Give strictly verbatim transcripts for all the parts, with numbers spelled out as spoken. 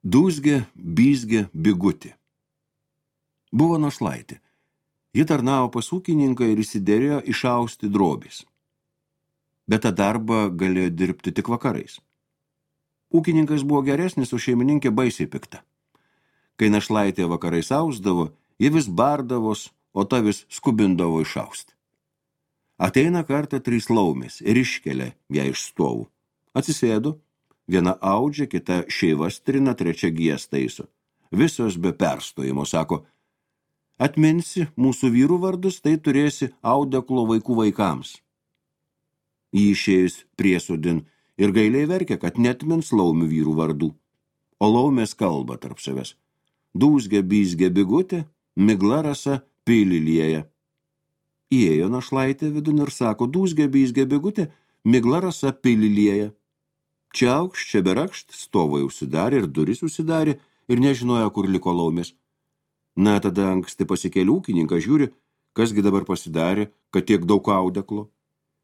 Dūzgė, byzgė, bigutė. Buvo našlaitė. Ji tarnavo pas ūkininką ir įsidėrėjo išausti drobės. Bet tą darbą galėjo dirbti tik vakarais. Ūkininkas buvo geresnis, o šeimininkė baisiai pikta. Kai našlaitė vakarais ausdavo, ji vis bardavos, o ta vis skubindavo išausti. Ateina kartą trys laumės ir iškelia ją iš stovų. Atsisėdo, viena audžia, kita šeivas trina, trečia gijas taiso. Visos be perstojimo sako, atminsi mūsų vyrų vardus, tai turėsi audeklo vaikų vaikams. Jį išėjus priesodin ir gailiai verkia, kad netmins laumių vyrų vardų. O laumės kalba tarp savęs. Dūzgė, byzgė, bigutė, migla rasa, pilį lieja. Įėjo našlaitė vidun ir sako, dūzgė, byzgė, bigutė, migla rasa, pilį lieja. Čia aukšt, čia berakšt, stovai užsidarė ir duris užsidarė ir nežinojo, kur liko laumės. Na, tada anksti pasikėlė ūkininkas, žiūri, kasgi dabar pasidarė, kad tiek daug audeklo.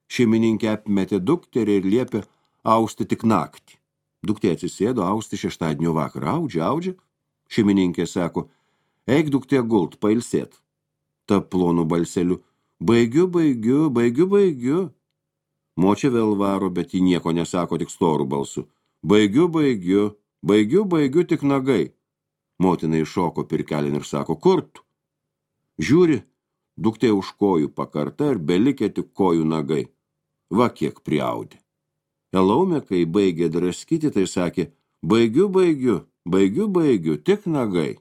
Šeimininkė apmetė dukterį ir liepė austi tik naktį. Duktė atsisėdo austi šeštadienio vakarą. Audžia, audžia. Šeimininkė sako, eik duktė gult, pailsėt. Ta plonu balseliu, baigiu, baigiu, baigiu, baigiu. Močia vėl varo, bet ji nieko nesako, tik storų balsu. Baigiu, baigiu, baigiu, baigiu, tik nagai. Motina iššoko pirkelin ir sako, kur tu? Žiūri, duktė už kojų pakarta ir belikė tik kojų nagai. Va kiek priaudė. Elaumė, kai baigė draskyti, tai sakė, baigiu, baigiu, baigiu, baigiu, tik nagai.